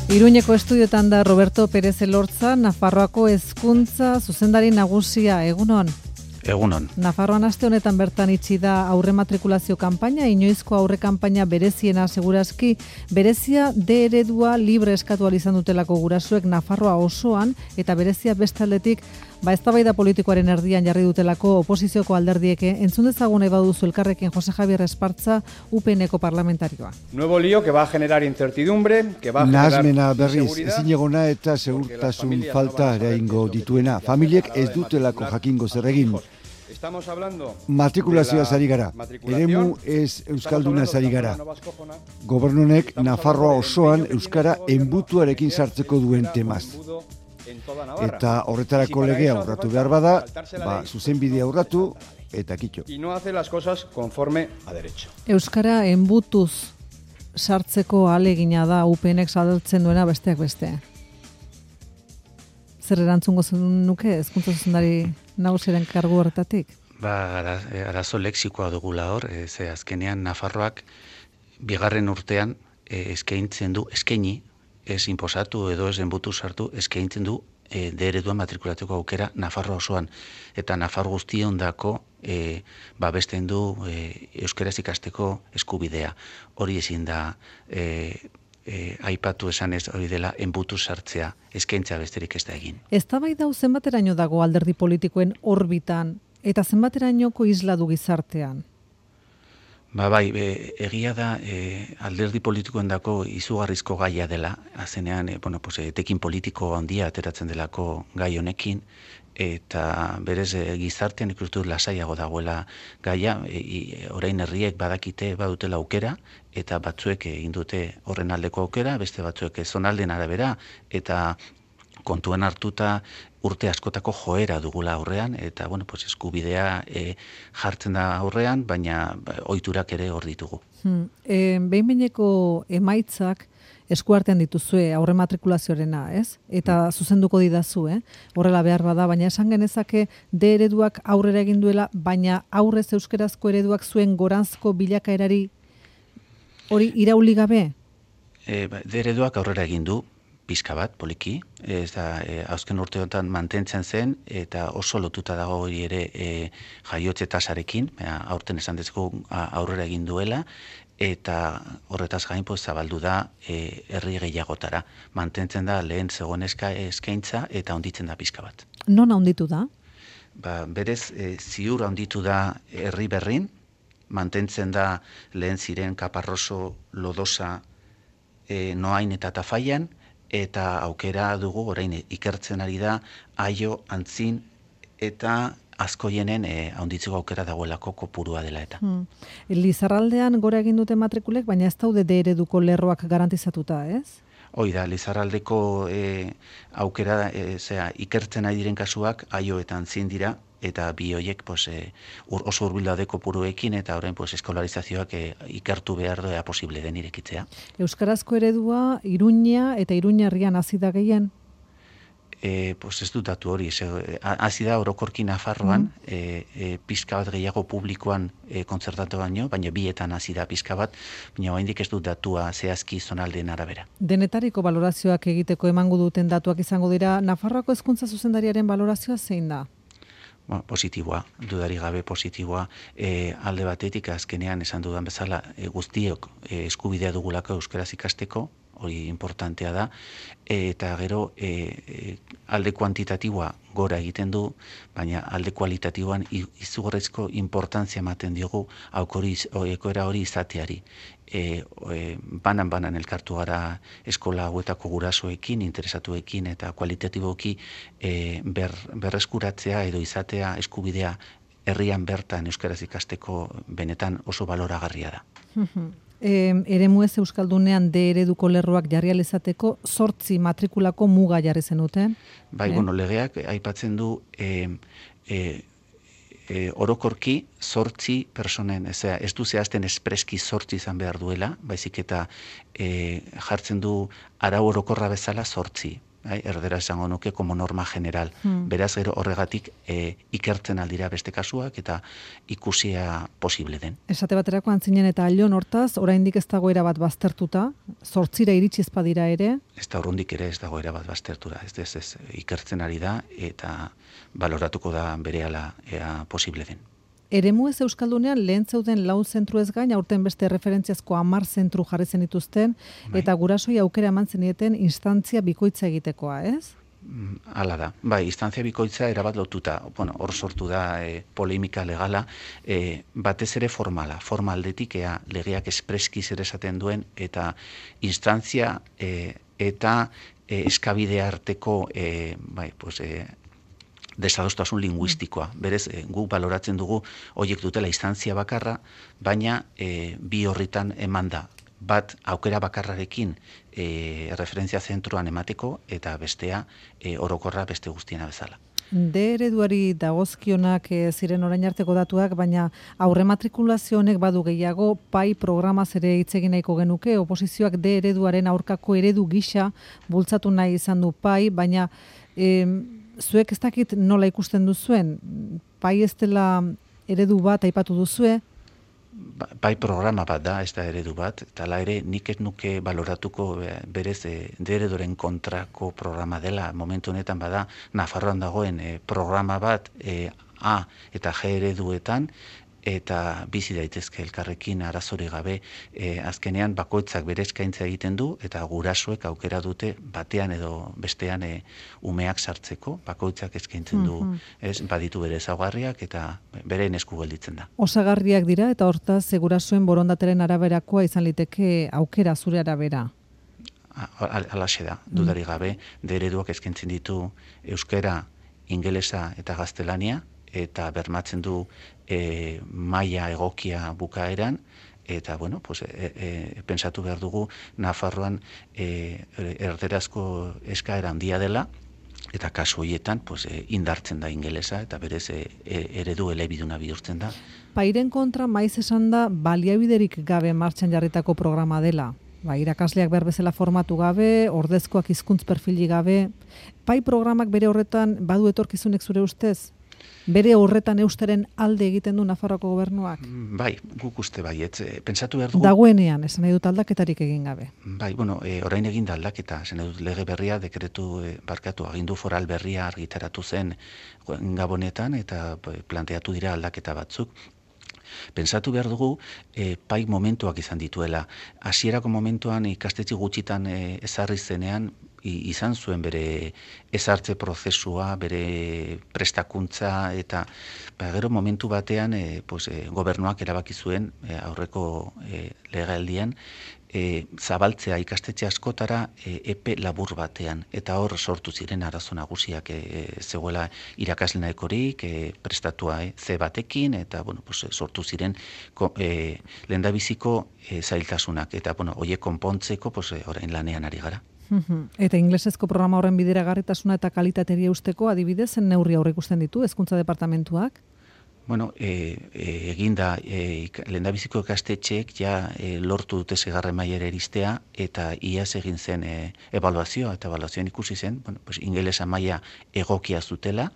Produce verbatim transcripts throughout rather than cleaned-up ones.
Iruñeko estudiotan da Roberto Pérez Elortza, Nafarroako hezkuntza zuzendari nagusia. Egunon. Egunon. Nafarroan aste honetan bertan itxi da aurre matrikulazio kanpaina, inoizko aurre kanpaina bereziena segurazki, berezia D eredua libre eskatu ahal izan dutelako gurasoek Nafarroa osoan, eta berezia beste aldetik, ba eztabaida politikoaren erdian jarri dutelako oposizioko alderdieke. Entzun dezagun nahi baduzu elkarrekin Jose Javier Espartza, U P N-eko parlamentarioa. Nuevo lío que va a generar incertidumbre, que va a generar Nahasmena berriz, ezin egona eta segurtasun falta eraingo dituena. Familiek ez dutelako jakingo zer egin. Matrikulazioa ari gara. Eremu ez euskalduna ari gara. Gobernunek Nafarroa osoan euskara enbutuarekin sartzeko duen temaz. Eta horretarako legea urratu behar bada, ba, zuzenbidea urratu eta kitxo. Y no hace las cosas conforme a derecho. Euskara enbutuz sartzeko ahalegina da U P N-ek saltzen duena besteak beste. Zer erantzungo nuke hezkuntza zuzendari nagusiaren kargu horretatik? Ba, arazo lexikoa dugula hor, e, ze azkenean Nafarroak bigarren urtean e, eskaintzen du, eskaini, ez inposatu edo ez enbutu sartu, eskaintzen du e, D ereduan matrikulatzeko aukera Nafarroa osoan. Eta Nafar guztiondako e, babesten du e, euskaraz ikasteko eskubidea. Hori ezin da e, E, aipatu esanez hori dela enbutu sartzea, eskaintza besterik ez da egin. Eztabaida hau zenbateraino dago alderdi politikoen orbitan eta zenbaterainoko isla du gizartean? Ba bai, e, egia da e, alderdi politikoendako izugarrizko gaia dela, azenean e, bueno, pues, etekin politiko handia ateratzen delako gai honekin, eta berez e, gizartean ikustu lasaiago dagoela gaia, e, orain herriek badakite badutela aukera, eta batzuek egin dute horren aldeko aukera, beste batzuek zonalden arabera, eta kontuen hartuta urte askotako joera dugula aurrean, eta bueno, pues, eskubidea e, jartzen da aurrean, baina ohiturak ere hor ditugu. Hmm. E, behin-behineko emaitzak eskuartean dituzue aurre matrikulazioarena, ez? Eta zuzenduko didazu, eh? Horrela behar bada, baina esan genezake D ereduak aurrera egin duela, baina aurrez euskerazko ereduak zuen goranzko bilakaerari hori irauli gabe? E, D ereduak aurrera egin du, pizka bat, poliki, ez da, e, azken urteotan mantentzen zen, eta oso lotuta dago hori ere e, jaiotze tasarekin, aurten esan dezugu aurrera egin duela, eta horretaz gain pues, zabaldu da e, herri gehiagotara. Mantentzen da lehen zegoen eskaintza eta handitzen da pizka bat. Non handitu da? Ba, berez, e, ziur handitu da herri berrin, mantentzen da lehen ziren Kaparroso, Lodosa, e, Noain eta Tafaian, eta aukera dugu orain ikertzen ari da Aio, Antzin eta Azkoienen e, handitzeko aukera dagoelako kopurua dela eta. Hmm. Lizarraldean gora egin dute matrikulek, baina ez daude D ereduko lerroak garantizatuta, ez? Hoi da, Lizarraldeko e, aukera e, zera, ikertzen ari diren kasuak Aio eta Antzin dira, eta bi horiek pues, e, ur, oso hurbil daude kopuruekin, eta orain pues, eskolarizazioak e, ikertu behar doa posible den irekitzea. Euskarazko eredua Iruña eta Iruñarrian hasi da gehien? E, pues ez dut datu hori, hasi da orokorki Nafarroan, mm. e, e, pizka bat gehiago publikoan e, kontzertatu baino, baina bietan hasi da pizka bat, baina oraindik ez dut datua zehazki zonaldeen arabera. Denetariko balorazioak egiteko emango duten datuak izango dira, Nafarroako hezkuntza zuzendariaren balorazioa zein da? Bueno, positiboa, dudari gabe positiboa, e, alde batetik azkenean esan dudan bezala e, guztiok e, eskubidea dugulako euskaraz ikasteko, hori importantea da, e, eta gero e, e, alde kuantitatiboa gora egiten du, baina alde kualitatiboan izugarrizko importantzia ematen diogu ekoera hori izateari. E, e, banan-banan elkartu gara eskola hauetako gurasoekin, interesatuekin eta kualitatiboki e, ber, berreskuratzea edo izatea eskubidea herrian bertan euskaraz ikasteko benetan oso baloragarria da. E, eremu ez euskaldunean D ereduko lerroak jarri alizateko zortzi matrikulako muga jarri zenuten? Bai, eh? bueno, legeak aipatzen du e, e, e, orokorki zortzi personen, ez, ez du zehazten espreski zortzi izan behar duela, baizik eta e, jartzen du arau orokorra bezala zortzi. bai, erdera esango nuke como norma general. Hmm. Beraz, gero horregatik e, ikertzen aldira beste kasuak eta ikusia posible den. Esate baterako antzinen eta Allon hortaz, oraindik ez dago erabat baztertuta, zortzira iritsi ez badira ere? Ez da urrundik ere ez dago erabat baztertura, ez, ez, ez ikertzen ari da eta baloratuko da berehala ea posible den. Eremu ez Euskaldunean lehen zeuden lau zentru ez gain, aurten beste referentziazko hamar zentru jarri zen dituzten, bai. Eta gurasoi aukera eman zenieten instantzia bikoitza egitekoa, ez? Hala da, bai, instantzia bikoitza erabat lotuta, bueno, hor sortu da e, polemika legala, e, batez ere formala, formaldetik ea legeak espreski zer esaten duen, eta instantzia e, eta e, eskabide arteko, e, bai, pues, e, desadostasun linguistikoa. Berez, e, guk baloratzen dugu horiek dutela instantzia bakarra, baina e, bi horritan eman da. Bat aukera bakarrarekin e, referentzia zentruan emateko eta bestea e, orokorra beste guztiena bezala. D ereduari dagozkionak e, ziren orain arteko datuak, baina aurre matrikulazio honek badu gehiago, pai programaz ere hitz egin nahiko genuke, oposizioak D ereduaren aurkako eredu gisa bultzatu nahi izan du pai, baina e, zuek ez dakit nola ikusten duzuen, pai ez dela eredu bat aipatu duzue? Bai programa bat da, ez da eredu bat, eta la ere nik ez nuke baloratuko berez e, D ereduaren kontrako programa dela, momentu honetan bada Nafarroan dagoen e, programa bat e, A eta G ereduetan, eta bizi daitezke elkarrekin arazori gabe, e, azkenean bakoitzak bere eskaintza egiten du, eta gurasoek aukera dute batean edo bestean e, umeak sartzeko, bakoitzak eskaintzen du, mm-hmm. ez, baditu bere ezaugarriak eta bere esku gelditzen da. Osagarriak dira, eta hortaz gurasoen borondateren araberakoa izan liteke aukera zure arabera. Alaxe da, dudari gabe, D ereduak eskaintzen ditu euskera, ingelesa eta gaztelania, eta bermatzen du e, maila egokia bukaeran, eta, bueno, pues, e, e, pensatu behar dugu Nafarroan e, erderazko eskaera handia dela, eta kasu horietan pues, e, indartzen da ingelesa, eta berez e, e, eredu elebiduna bihurtzen da. Pairen kontra maiz esan da baliabiderik gabe martxan jarritako programa dela. Ba, irakasleak behar bezala formatu gabe, ordezkoak hizkuntz perfili gabe. Pai programak bere horretan badu etorkizunek zure ustez? Bere horretan eusteren alde egiten du Nafarroako gobernuak? Bai, guk uste baietz. Pentsatu behar dugu... Dagoenean, esan nahi dut aldaketarik egin gabe. Bai, bueno, e, orain egin da aldaketa, esan nahi dut lege berria, dekretu, e, barkatu, agindu foral berria argitaratu zen Gabonetan, eta planteatu dira aldaketa batzuk. Pentsatu behar dugu, e, pai momentuak izan dituela. Hasierako momentuan ikastetxe gutxitan e, ezarri zenean, izan zuen bere ezartze prozesua, bere prestakuntza, eta ba, gero momentu batean e, pues, e, gobernuak erabaki zuen e, aurreko e, legealdian, e, zabaltzea ikastetxe askotara e, epe labur batean, eta hor sortu ziren arazo nagusiak e, zegoela irakasle nahikorik, e, prestatua e, ze batekin, eta bueno, pues, sortu ziren e, lehendabiziko e, zailtasunak, eta bueno, horiek konpontzeko pues, e, orain lanean ari gara. Eta inglesezko programa horren bideragarritasuna eta kalitateria usteko adibidez zen neurri aurreikusten ditu Hezkuntza Departamentuak? Bueno, e, e, eginda e, lehendabiziko ikastetxeek ja e, lortu dute seigarren mailara iristea, eta iaz egin zen e, ebaluazioa, eta ebaluazioan ikusi zen, bueno, pues, ingelesa maila egokia zutela,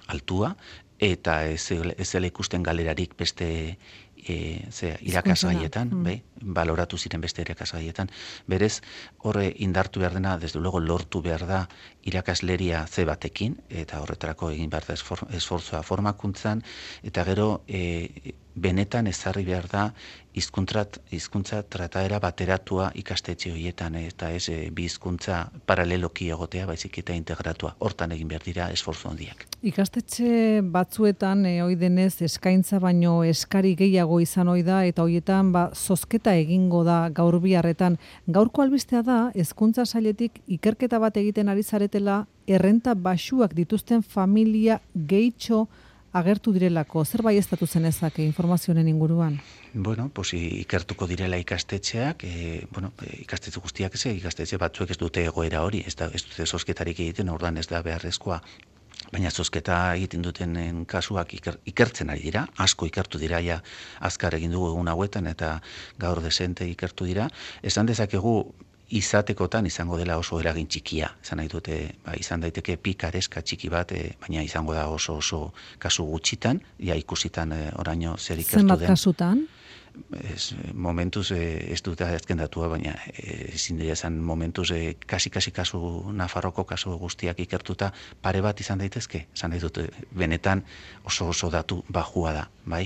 altua, eta ez dela ikusten galerarik beste E, ze, irakasgaietan, mm. bai, baloratu ziren beste irakasgaietan. Berez, horre indartu behar dena, desde luego lortu behar da irakasleria ze batekin, eta horretarako egin behar da esfortzua formakuntzan, eta gero e, benetan ezarri behar da hizkuntza hizkuntza trataera bateratua ikastetxe horietan, eta ez e, bi hizkuntza paraleloki egotea, baizik eta integratua. Hortan egin behar dira esfortzu handiak. Ikastetxe batzuetan e, ohi denez eskaintza baino eskari gehiago izan ohi da, eta horietan ba zozketa egingo da gaur biharretan. Gaurko albistea da hezkuntza sailetik ikerketa bat egiten ari zaretela errenta baxuak dituzten familia gehitxo agertu direlako. Zer baieztatu zenezake informazioen inguruan? Bueno, pues ikertuko direla ikastetxeak, e, bueno, ikastetxe guztiak ez, ikastetxe batzuek ez dute egoera hori, ez, da, ez dute zozketarik egiten, ordan ez da beharrezkoa. Baina zozketa egiten duten kasuak iker, ikertzen ari dira, asko ikertu dira, ja azkar egin dugu egun hauetan, eta gaur desente ikertu dira. Esan dezakegu izatekotan izango dela oso eragin txikia. Izan nahi dute, ba, izan daiteke pikareska txiki bat, e, baina izango da oso oso kasu gutxitan, ja ikusitan e, oraino zer ikertu den. Zenbat kasutan? Ez, momentuz e, ez dut azken datua, baina ezin dira esan momentuz e, kasi-kasi kasu, Nafarroko kasu guztiak ikertuta pare bat izan daitezke, esan nahi dut benetan oso oso datu bajua da, bai?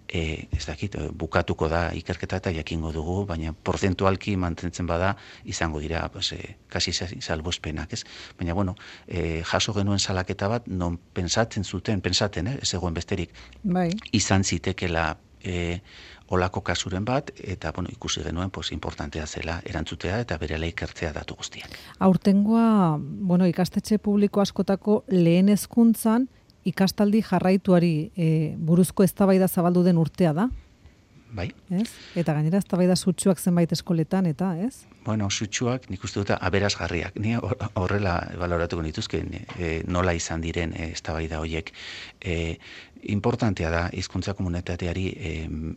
E, ez dakit, bukatuko da ikerketa eta jakingo dugu, baina porzentualki mantentzen bada izango dira pues, e, kasi salbuespenak, ez? Baina, bueno, e, jaso genuen salaketa bat, non pensatzen zuten, pensaten, eh, ez egoen besterik, bai. Izan zitekela e, olako kasuren bat, eta bueno, ikusi genuen pues, importantea zela erantzutea eta berela ikertzea datu guztiak. Aurtengoa, bueno, ikastetxe publiko askotako lehen hezkuntzan ikastaldi jarraituari e, buruzko eztabaida zabaldu den urtea da. Bai. Ez? Eta gainera eztabaida sutsuak zenbait eskoletan, eta ez? Bueno, sutsuak nik uste dut aberasgarriak. Ni horrela baloratuko nituzke e, nola izan diren e, eztabaida horiek. E, importantea da hizkuntza komunitateari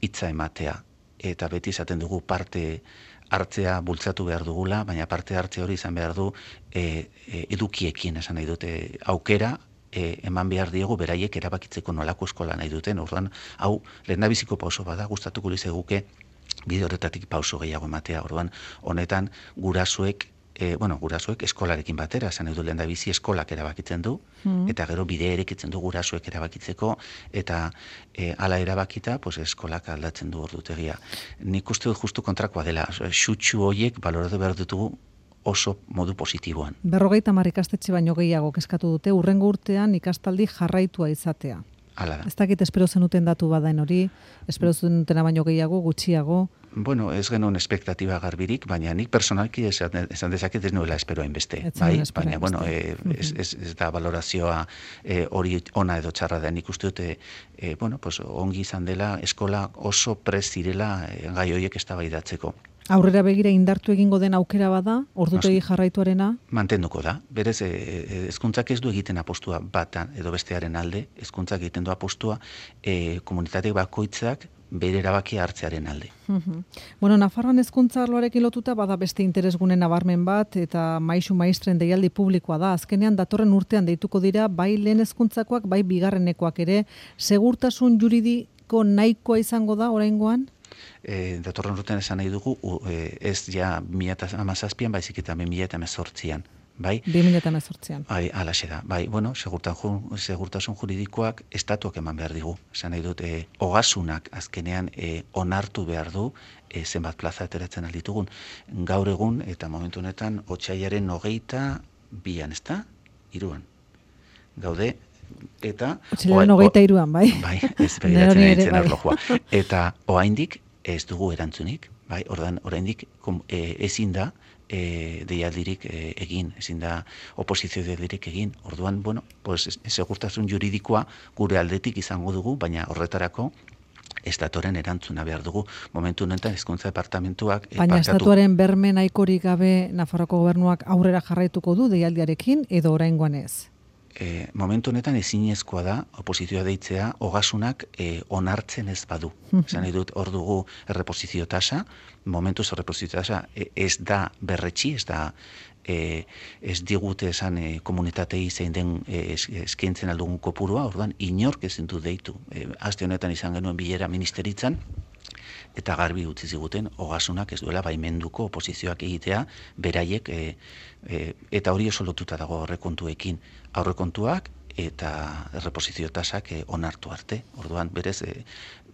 hitza ematea. Eta beti izaten dugu parte hartzea bultzatu behar dugula, baina parte hartze hori izan behar du e, e, edukiekin esan nahi dute aukera, E, eman behar diegu beraiek erabakitzeko nolako eskola nahi duten. Orduan, hau, lehendabiziko pauso bada, gustatuko lizeguke bide horretatik pauso gehiago ematea. Orduan, honetan gurasoek, e, bueno, gurasoek eskolarekin batera, esan edo lehendabizi eskolak erabakitzen du, mm. eta gero bide erekitzen du gurasoek erabakitzeko, eta e, ala erabakita, pues, eskolak aldatzen du ordutegia. Nik uste dut justu kontrakoa dela, xutxu horiek baloratu behar dutugu oso modu positiboan. Berrogeita hamar ikastetxe baino gehiago kezkatu dute, urrengo urtean ikastaldi jarraitua izatea. Hala da. Ez dakit espero zenuten datu badaen hori, espero zenutena baino gehiago, gutxiago. Bueno, ez genuen espektatiba garbirik, baina nik personalki esan, esan dezaket ez nuela espero hainbeste. Bai? Baina, bueno, e, ez, ez, ez da valorazioa e, hori ona edo txarra da. Nik uste dute, e, bueno, pues, ongi izan dela, eskola oso prest zirela e, gai horiek eztabaidatzeko. Aurrera begira indartu egingo den aukera bada, ordutegi jarraituarena? Mantenduko da. Berez, hezkuntzak ez du egiten apostua batan edo bestearen alde, hezkuntzak egiten du apostua e, komunitate bakoitzak bere erabakia hartzearen alde. Uh-huh. Bueno, Nafarroan hezkuntza arloarekin lotuta bada beste interesgune nabarmen bat eta maisu maistren deialdi publikoa da. Azkenean datorren urtean deituko dira bai lehen hezkuntzakoak, bai bigarrenekoak ere. Segurtasun juridiko nahikoa izango da oraingoan? E, datorren urtean esan nahi dugu, e, ez ja bi mila hamazazpian, baizik eta bi mila hemezortzian. Bai? bi mila hemezortzian. Bai, alaxe da. Bai, bueno, segurtasun, segurtasun juridikoak estatuak eman behar digu. Esan nahi dut, e, ogasunak azkenean e, onartu behar du e, zenbat plaza ateratzen alditugun. Gaur egun, eta momentu honetan, otsailaren hogeita bian, ez da? Hiruan. Gaude, eta... Otsailaren hogeita hiruan, bai? Bai, ez begiratzen egiten arlojua. Eta oraindik ez dugu erantzunik, bai, ordan oraindik e, ezin da e, deialdirik e, egin, ezin da oposizio deialdirik egin. Orduan, bueno, pues segurtasun juridikoa gure aldetik izango dugu, baina horretarako estatuaren erantzuna behar dugu. Momentu honetan hezkuntza departamentuak e, baina estatuaren berme nahikorik gabe Nafarroako gobernuak aurrera jarraituko du deialdiarekin edo oraingoan ez? E, momentu honetan ezinezkoa da oposizioa deitzea ogasunak e, onartzen ez badu. Esan nahi dut hor dugu erreposizio tasa, momentuz erreposizio tasa e, ez da berretxi, ez da e, ez digute esan e, komunitatei zein den e, eskaintzen aldugun kopurua, orduan inork ezin du deitu. E, aste honetan izan genuen bilera ministeritzan, eta garbi utzi ziguten ogasunak ez duela baimenduko oposizioak egitea beraiek e, e, eta hori oso lotuta dago aurrekontuekin. Aurrekontuak eta erreposizio tasak e, onartu arte. Orduan berez e,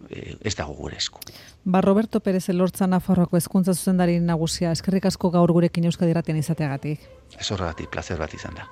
e, ez dago gure esku. Ba, Roberto Pérez Elortza Nafarroako hezkuntza zuzendari nagusia, eskerrik asko gaur gurekin Euskadi Irratian izateagatik. Ez horregatik, plazer bat izan da.